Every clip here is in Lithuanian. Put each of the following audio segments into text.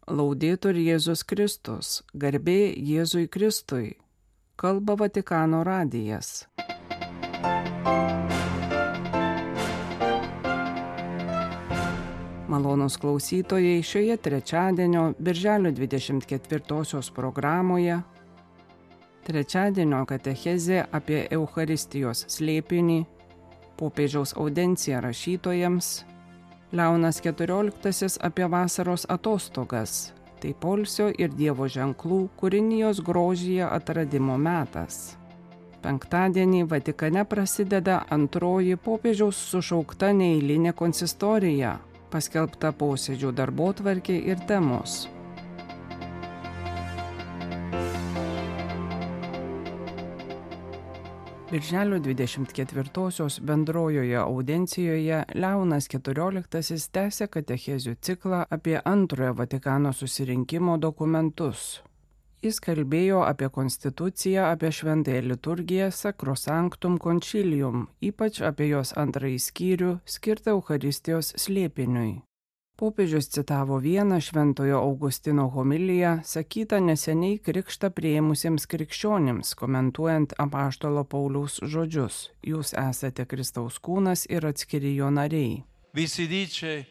Laudetur Jėzus Kristus, garbė Jėzui Kristui, kalba Vatikano radijas. Malonūs klausytojai, šioje trečiadienio, birželio 24 programoje, trečiadienio katechezė apie Eucharistijos slėpinį, popiežiaus audencija rašytojams, Leonas XIV apie vasaros atostogas, tai poilsio ir Dievo ženklų kūrinijos grožyje atradimo metas. Penktadienį Vatikane prasideda antroji popiežiaus sušaukta neeilinė konsistorija, paskelbta posėdžių darbotvarkė ir temos. Birželio 24 bendrojoje audencijoje Leonas XIV tęsė katechezių ciklą apie antrojo Vatikano susirinkimo dokumentus. Jis kalbėjo apie konstituciją, apie šventąją liturgiją Sacrosanctum Concilium, ypač apie jos antrąjį skyrių skirtą Eucharistijos slėpiniui. Popiežius citavo vieną Šventojo Augustino homiliją, sakytą neseniai krikštą priėmusiems krikščionims, komentuojant apaštalo Pauliaus žodžius: Jūs esate Kristaus kūnas ir atskiri jo nariai. Vi si dice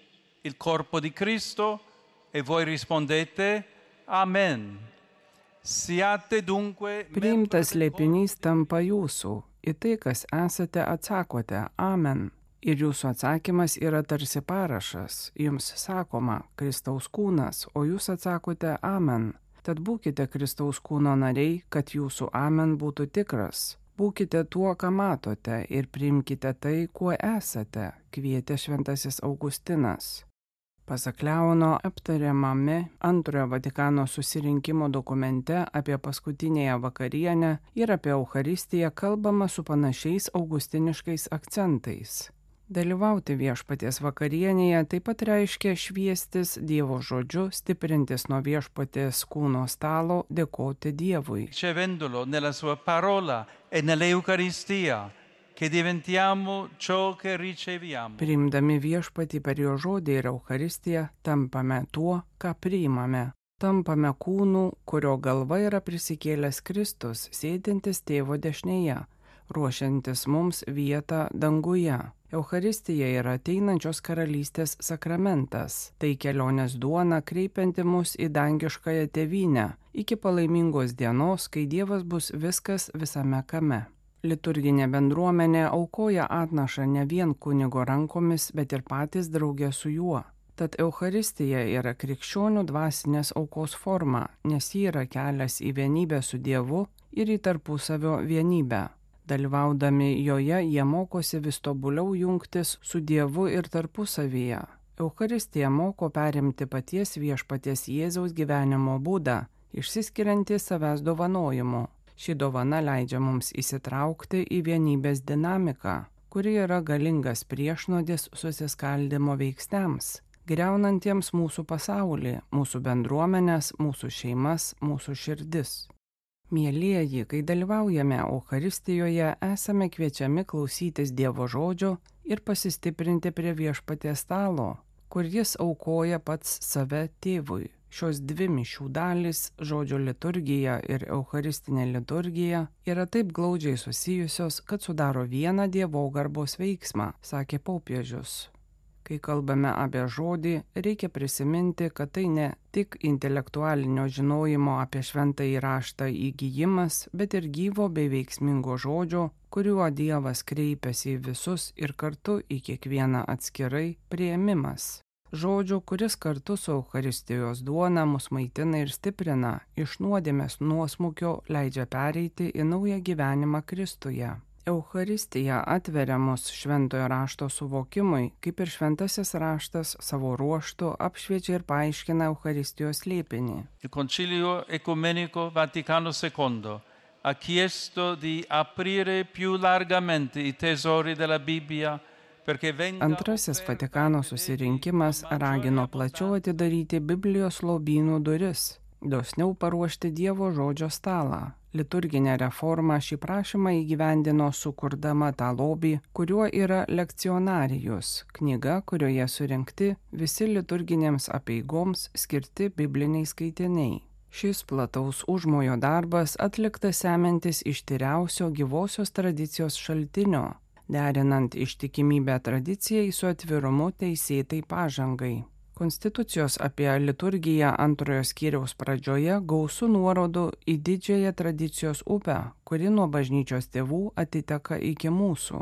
il corpo di Cristo e voi rispondete Amen. Siate dunque... Priimtas slėpinys tampa jūsų, į tai, kas esate, atsakote Amen. Ir jūsų atsakymas yra tarsi parašas, jums sakoma Kristaus kūnas, o jūs atsakote Amen. Tad būkite Kristaus kūno nariai, kad jūsų Amen būtų tikras. Būkite tuo, ką matote, ir priimkite tai, kuo esate, kvietė šventasis Augustinas. Pasak Leono, aptariamame antrojo Vatikano susirinkimo dokumente apie paskutinėją vakarienę ir apie Eucharistiją kalbama su panašiais augustiniškais akcentais. Dalyvauti viešpaties vakarienėje taip pat reiškia šviestis Dievo žodžiu, stiprintis nuo viešpaties kūno stalo, dėkoti Dievui. Ricevendolo nella sua parola e nell'Eucaristia, che diventiamo ciò che riceviamo. Priimdami viešpatį per jo žodį ir Eucharistiją, tampame tuo, ką priimame. Tampame kūnu, kurio galva yra prisikėlęs Kristus, sėdintis tėvo dešinėje, ruošiantis mums vietą danguje. Eucharistija yra ateinančios karalystės sakramentas, tai kelionės duona kreipianti mus į dangiškąją tėvynę, iki palaimingos dienos, kai Dievas bus viskas visame kame. Liturginė bendruomenė aukoja atnašą ne vien kunigo rankomis, bet ir patys drauge su juo. Tad Eucharistija yra krikščionių dvasinės aukos forma, nes ji yra kelias į vienybę su Dievu ir į tarpusavio vienybę. Dalyvaudami joje jie mokosi vis tobuliau jungtis su Dievu ir tarpusavyje. Eucharistija moko perimti paties viešpaties Jėzaus gyvenimo būdą, išsiskiriantį savęs dovanojimu. Ši dovana leidžia mums įsitraukti į vienybės dinamiką, kuri yra galingas priešnuodis susiskaldimo veiksniams, griaunantiems mūsų pasaulį, mūsų bendruomenės, mūsų šeimas, mūsų širdis. Mielieji, kai dalyvaujame Eucharistijoje, esame kviečiami klausytis Dievo žodžio ir pasistiprinti prie viešpaties stalo, kur jis aukoja pats save tėvui. Šios dvi mišių dalys, žodžio liturgija ir Eucharistinė liturgija, yra taip glaudžiai susijusios, kad sudaro vieną dievogarbos veiksmą, sakė popiežius. Kai kalbame apie žodį, reikia prisiminti, kad tai ne tik intelektualinio žinojimo apie šventąjį raštą įgijimas, bet ir gyvo bei veiksmingo žodžio, kuriuo Dievas kreipiasi į visus ir kartu į kiekvieną atskirai priėmimas. Žodžio, kuris kartu su Eucharistijos duona mus maitina ir stiprina, iš nuodėmės nuosmukio leidžia pereiti į naują gyvenimą Kristuje. Eucharistija atveria mus šventojo rašto suvokimui, kaip ir šventasis raštas savo ruožtu apšviečia ir paaiškina Eucharistijos slėpinį. Il Concilio Ecumenico Vaticano II ha chiesto di aprire più largamente i tesori della Bibbia. Antrasis Vatikano susirinkimas ragino plačiau atidaryti Biblijos lobynų duris, dosniau paruošti Dievo žodžio stalą, Liturginė reforma šį prašymą įgyvendino sukurdama tą lobį, kuriuo yra Lekcionarijus, knyga, kurioje surinkti visi liturginėms apeigoms skirti bibliniai skaitiniai. Šis plataus užmojo darbas atliktas semiantis iš tyriausio gyvosios tradicijos šaltinio, derinant ištikimybę tradicijai su atvirumu teisėtai pažangai. Konstitucijos apie liturgiją antrojo skyriaus pradžioje gausu nuorodų į didžiąją tradicijos upę, kuri nuo bažnyčios tėvų atiteka iki mūsų.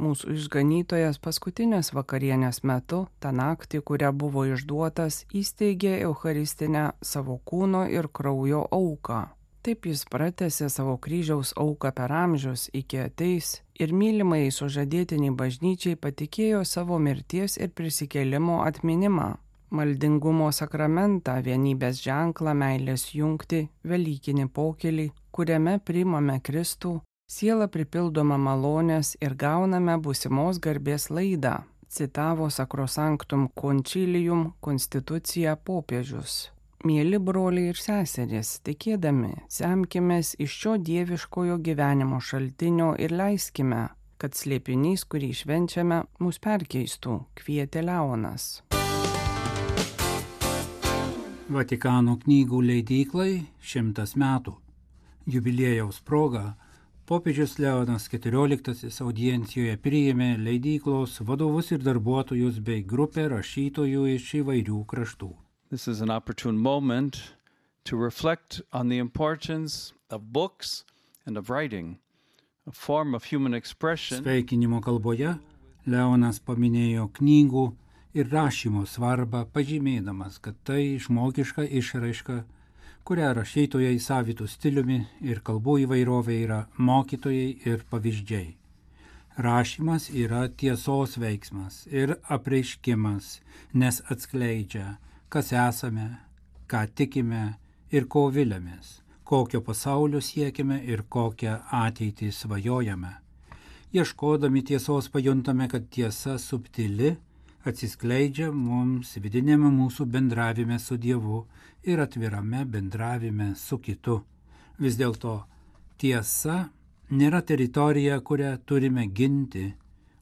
Mūsų išganytojas paskutinės vakarienės metu, tą naktį, kurią buvo išduotas, įsteigė eucharistinę savo kūno ir kraujo auką. Taip jis pratęsė savo kryžiaus auką per amžius iki ateis ir mylimai sužadėtiniai bažnyčiai patikėjo savo mirties ir prisikėlimo atminimą, maldingumo sakramentą, vienybės ženklą, meilės jungtį, velykinį pokylį, kuriame priimame Kristų, siela pripildoma malonės ir gauname būsimos garbės laidą, citavo Sacrosanctum Concilium konstituciją popiežius. Mieli broliai ir seserys, tikėdami, semkimės iš šio dieviškojo gyvenimo šaltinio ir leiskime, kad slėpinys, kurį švenčiame, mus perkeistų, kvietė Leonas. Vatikano knygų leidyklai 100 metų. Jubiliejaus proga popiežius Leonas XIV audiencijoje priėmė leidyklos vadovus ir darbuotojus bei grupę rašytojų iš įvairių kraštų. This is an opportune moment to reflect on the importance of books and of writing, a form of human expression. Sveikinimo kalboje Leonas paminėjo knygų ir rašymo svarbą, pažymėdamas, kad tai žmogiška išraiška, kurią rašytojai savitų stiliumi ir kalbų įvairovė yra mokytojai ir pavyzdžiai. Rašymas yra tiesos veiksmas ir apreiškimas, nes atskleidžia, kas esame, ką tikime ir ko viliamės, kokio pasaulio siekime ir kokią ateitį svajojame. Ieškodami tiesos pajuntame, kad tiesa subtili atsiskleidžia mums vidinėme mūsų bendravime su Dievu ir atvirame bendravime su kitu. Vis dėlto tiesa nėra teritorija, kurią turime ginti,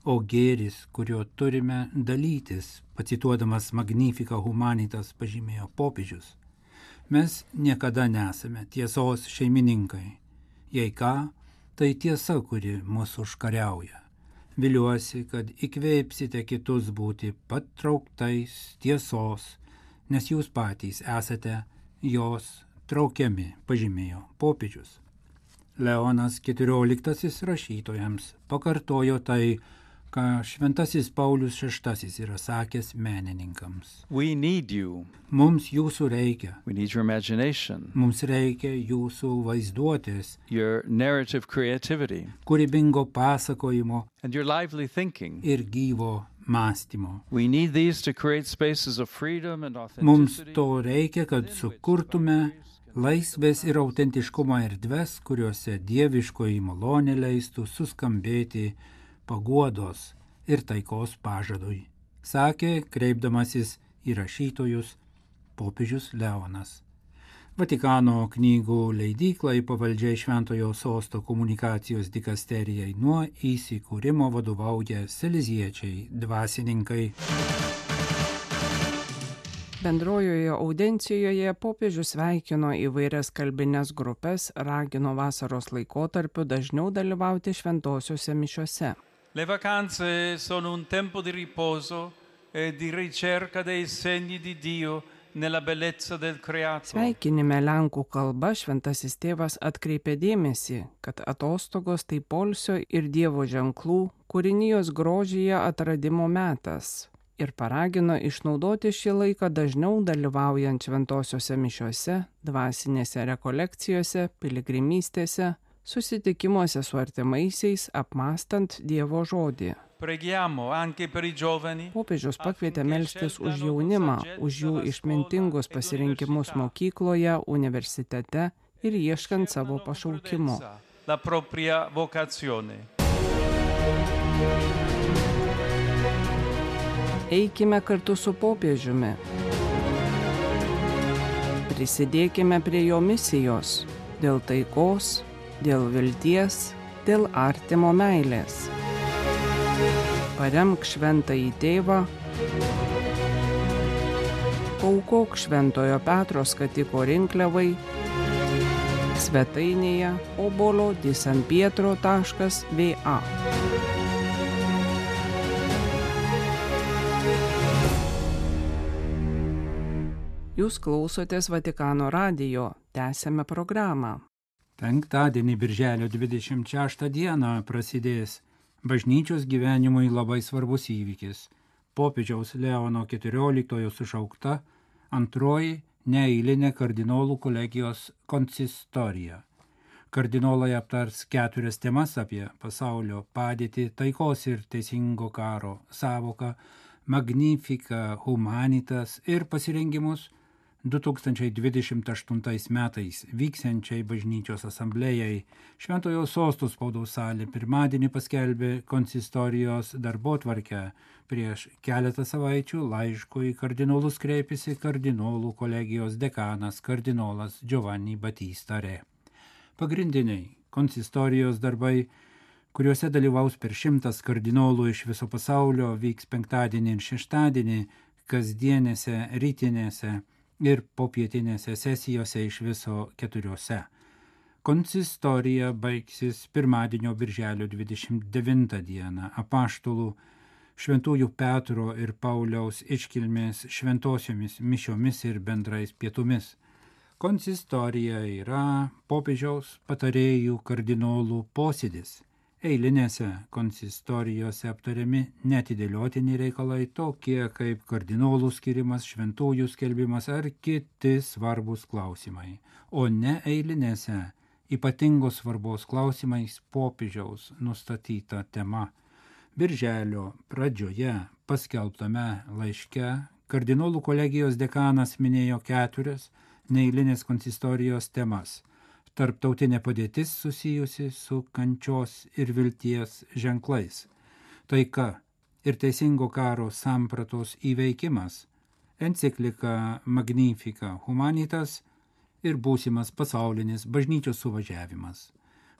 o gėris, kuriuo turime dalytis, pacituodamas Magnificat Humanitas pažymėjo popiežius. Mes niekada nesame tiesos šeimininkai. Jei ką, tai tiesa, kuri mūsų užkariauja. Viliuosi, kad įkvėpsite kitus būti patrauktais tiesos, nes jūs patys esate jos traukiami, pažymėjo popiežius. Leonas XIV rašytojams pakartojo tai, ką šventasis Paulius VI yra sakęs menininkams. We need you. Mums jūsų reikia. We need your imagination. Mums reikia jūsų vaizduotės, Your narrative creativity. kūrybingo pasakojimo And your lively thinking. ir gyvo mąstymo. We need these to create spaces of freedom and Mums authenticity. to reikia, kad sukurtume laisvės ir autentiškumo erdves, kuriuose dieviškoji malonė leistų suskambėti paguodos ir taikos pažadui, sakė, kreipdamasis į rašytojus, popiežius Leonas. Vatikano knygų leidyklai pavaldžiai Šventojo Sosto komunikacijos dikasterijai nuo įsikūrimo vadovauja saleziečiai dvasininkai. Bendrojoje audiencijoje popiežius sveikino įvairias kalbinės grupės, ragino vasaros laikotarpiu dažniau dalyvauti šventosiuose mišiose. Le vacanze sono un tempo di riposo e di ricerca dei segni di Dio nella bellezza del creato. Sveikinime lenkų kalba šventasis tėvas atkreipė dėmesį, kad atostogos tai poilsio ir Dievo ženklų, kūrinijos grožyje atradimo metas. Ir paragino išnaudoti šį laiką dažniau dalyvaujant šventosiuose mišiose, dvasinėse rekolekcijose, piligrimystėse, susitikimuose su artimaisiais, apmąstant Dievo žodį. Preghiamo anche per i giovani. Popiežius pakvietė melstis už jaunimą, už jų išmintingus pasirinkimus mokykloje, universitete ir ieškant savo pašaukimo. La propria vocazione. Eikime kartu su popiežiumi. Prisidėkime prie jo misijos. dėl taikos, dėl vilties, dėl artimo meilės. Paremk Šventąjį Tėvą, paaukok Šventojo Petro skatiko rinkliavai svetainėje obolo.sanpietro.va. Jūs klausotės Vatikano radijo, tęsiame programą. Penktadienį, birželio 26 dieną, prasidės bažnyčios gyvenimui labai svarbus įvykis. Popiežiaus Leono XIV sušaukta antroji neeilinė kardinolų kolegijos konsistorija. Kardinolai aptars 4 temas apie pasaulio padėtį, taikos ir teisingo karo sąvoką, Magnificat Humanitas ir pasirengimus 2028 metais vyksiančiai bažnyčios asamblėjai. Šventojo Sosto spaudos salė pirmadienį paskelbė konsistorijos darbotvarkę. Prieš keletą savaičių laišku į kardinolus kreipėsi kardinolų kolegijos dekanas kardinolas Giovanni Battista Re. Pagrindiniai konsistorijos darbai, kuriuose dalyvaus per 100 kardinolų iš viso pasaulio, vyks penktadienį ir šeštadienį, kasdienėse, rytinėse ir popietinėse sesijose iš viso 4. Konsistorija baigsis pirmadienio birželio 29 dieną apaštalų Šventųjų Petro ir Pauliaus iškilmės šventosiomis mišiomis ir bendrais pietumis. Konsistorija yra popiežiaus patarėjų kardinolų posėdis. Eilinėse konsistorijose aptariami neatidėliotini reikalai tokie kaip kardinolų skirimas, šventųjų skelbimas ar kiti svarbus klausimai, o ne eilinėse ypatingos svarbos klausimais popiežiaus nustatyta tema. Birželio pradžioje paskelbtame laiške kardinolų kolegijos dekanas minėjo 4 neeilinės konsistorijos temas. Tarptautinė padėtis susijusi su kančios ir vilties ženklais, taika ir teisingo karo sampratos įveikimas, enciklika Magnificat Humanitas ir būsimas pasaulinis bažnyčios suvažiavimas.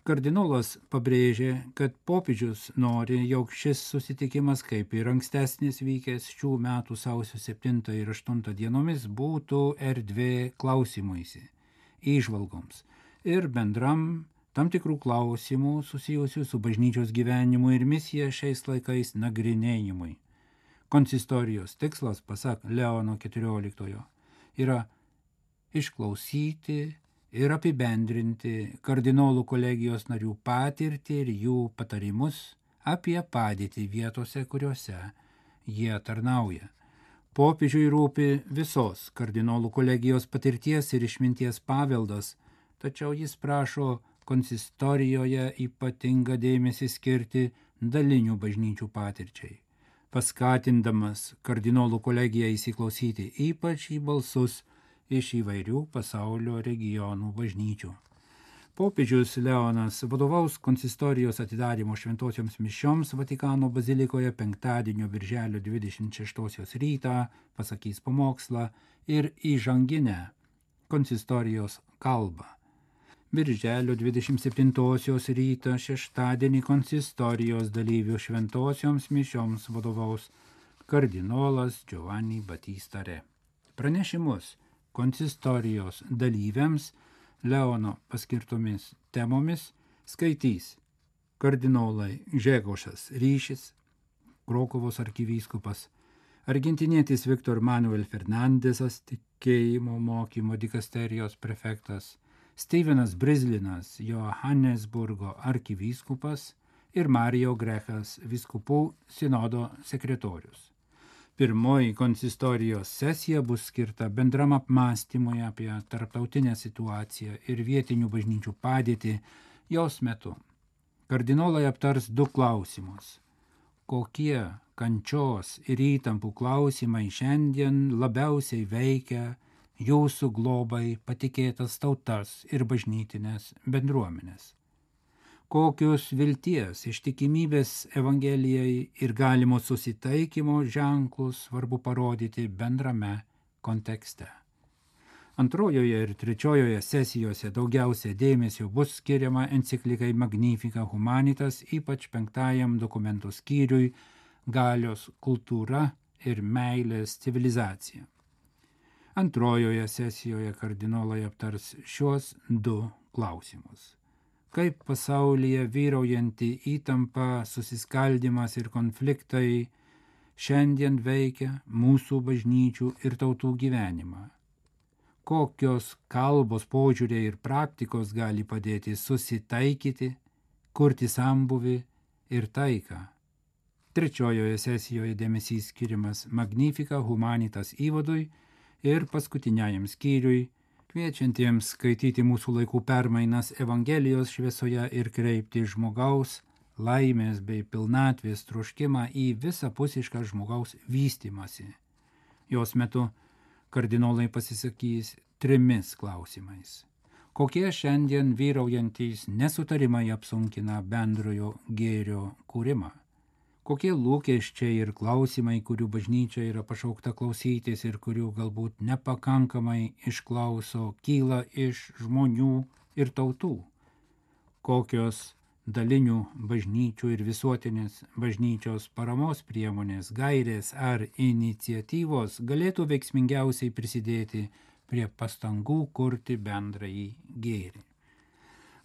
Kardinolas pabrėžė, kad popiežius nori, jog šis susitikimas, kaip ir ankstesnis vykęs šių metų sausio 7 ir 8 dienomis, būtų erdvė klausimuisi, įžvalgoms ir bendram tam tikrų klausimų susijusių su bažnyčios gyvenimu ir misija šiais laikais nagrinėjimui. Konsistorijos tikslas, pasak Leono XIV, yra išklausyti ir apibendrinti kardinolų kolegijos narių patirtį ir jų patarimus apie padėtį vietose, kuriuose jie tarnauja. Popiežiui rūpi visos kardinolų kolegijos patirties ir išminties paveldas, tačiau jis prašo konsistorijoje ypatingą dėmesį skirti dalinių bažnyčių patirčiai, paskatindamas kardinolų kolegiją įsiklausyti ypač į balsus iš įvairių pasaulio regionų bažnyčių. Popiežius Leonas vadovaus konsistorijos atidarymo šventosioms mišioms Vatikano bazilikoje penktadienio birželio 26 rytą, pasakys pamokslą ir įžanginę konsistorijos kalbą. Birželio 27 rytą šeštadienį konsistorijos dalyvių šventosioms mišioms vadovaus kardinolas Giovanni Battista Re. Pranešimus konsistorijos dalyviams Leono paskirtomis temomis skaitys kardinolai Gžegožas Ryšis, Krokuvos arkivyskupas, argentinietis Viktor Manuel Fernandesas, tikėjimo mokymo dikasterijos prefektas, Stevenas Brizlinas, Johannesburgo arkivyskupas ir Mario Grechas, vyskupų sinodo sekretorius. Pirmoji konsistorijos sesija bus skirta bendram apmąstymui apie tarptautinę situaciją ir vietinių bažnyčių padėtį jos metu. Kardinolai aptars 2 klausimus. Kokie kančios ir įtampų klausimai šiandien labiausiai veikia jūsų globai patikėtas tautas ir bažnytinės bendruomenės? Kokius vilties, ištikimybės Evangelijai ir galimo susitaikymo ženklus svarbu parodyti bendrame kontekste? Antrojoje ir trečiojoje sesijose daugiausia dėmesio bus skiriama enciklikai Magnificat Humanitas, ypač 5 dokumentų skyriui Galios kultūra ir meilės civilizacija. Antrojoje sesijoje kardinolai aptars šios 2 klausimus. Kaip pasaulyje vyraujanti įtampa, susiskaldimas ir konfliktai šiandien veikia mūsų bažnyčių ir tautų gyvenimą. Kokios kalbos, požiūriai ir praktikos gali padėti susitaikyti, kurti sambuvį ir taiką. Trečiojoje sesijoje dėmesys skiriamas Magnificat Humanitas įvadui ir paskutiniajam skyriui, kviečiantiems skaityti mūsų laikų permainas Evangelijos šviesoje ir kreipti žmogaus laimės bei pilnatvės troškimą į visapusišką žmogaus vystymąsi. Jos metu kardinolai pasisakys 3 klausimais. Kokie šiandien vyraujantys nesutarimai apsunkina bendrojo gėrio kūrimą? Kokie lūkesčiai ir klausimai, kurių bažnyčia yra pašaukta klausytis ir kurių galbūt nepakankamai išklauso, kyla iš žmonių ir tautų? Kokios dalinių bažnyčių ir visuotinės bažnyčios paramos priemonės, gairės ar iniciatyvos galėtų veiksmingiausiai prisidėti prie pastangų kurti bendrąjį gėrį.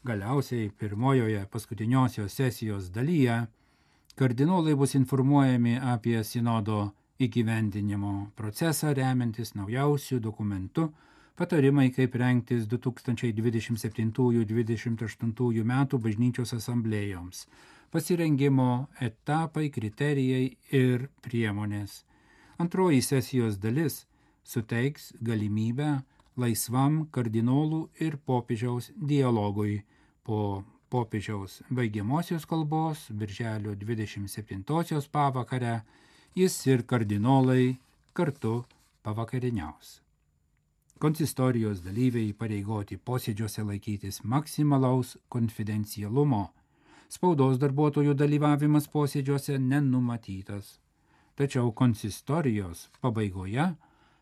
Galiausiai pirmojoje paskutiniosios sesijos dalyje kardinolai bus informuojami apie sinodo įgyvendinimo procesą remiantis naujausių dokumentų, patarimai, kaip rengtis 2027-2028 metų bažnyčios asamblėjoms, pasirengimo etapai, kriterijai ir priemonės. Antroji sesijos dalis suteiks galimybę laisvam kardinolų ir popiežiaus dialogui po popiežiaus baigiamosios kalbos birželio 27-osios pavakarę jis ir kardinolai kartu pavakarieniaus. Konsistorijos dalyviai įpareigoti posėdžiuose laikytis maksimalaus konfidencialumo. Spaudos darbuotojų dalyvavimas posėdžiuose nenumatytas. Tačiau konsistorijos pabaigoje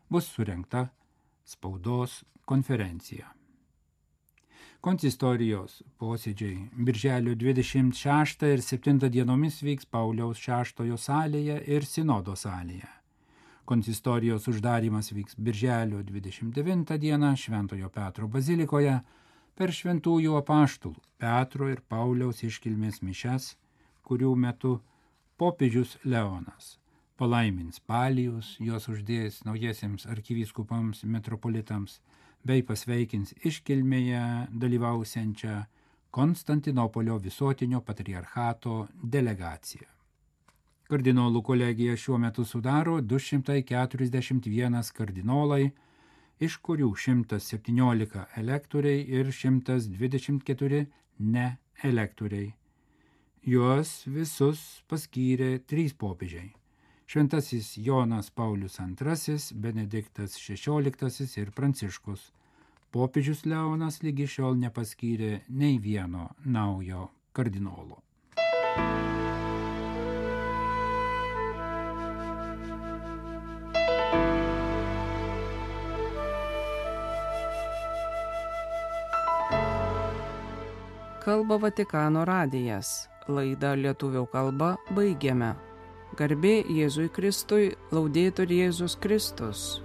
bus surengta spaudos konferencija. Konsistorijos posėdžiai birželio 26 ir 7 dienomis vyks Pauliaus VI salėje ir Sinodo salėje. Konsistorijos uždarimas vyks birželio 29 dieną Šventojo Petro bazilikoje per šventųjų apaštalų Petro ir Pauliaus iškilmės mišias, kurių metu popiežius Leonas palaimins palijus, juos uždės naujiesiems arkivyskupams, metropolitams, bei pasveikins iškilmėje dalyvausiančią Konstantinopolio visuotinio patriarchato delegaciją. Kardinolų kolegija šiuo metu sudaro 241 kardinolai, iš kurių 117 elektoriai ir 124 neelektoriai. Juos visus paskyrė 3 popiežiai. Šventasis Jonas Paulius II, Benediktas XVI ir Pranciškus. Popiežius Leonas lygi šiol nepaskyrė nei vieno naujo kardinolo. Kalba Vatikano radijas. Laidą lietuvių kalba baigiame. Garbė Jėzui Kristui, Laudetur Jėzus Kristus.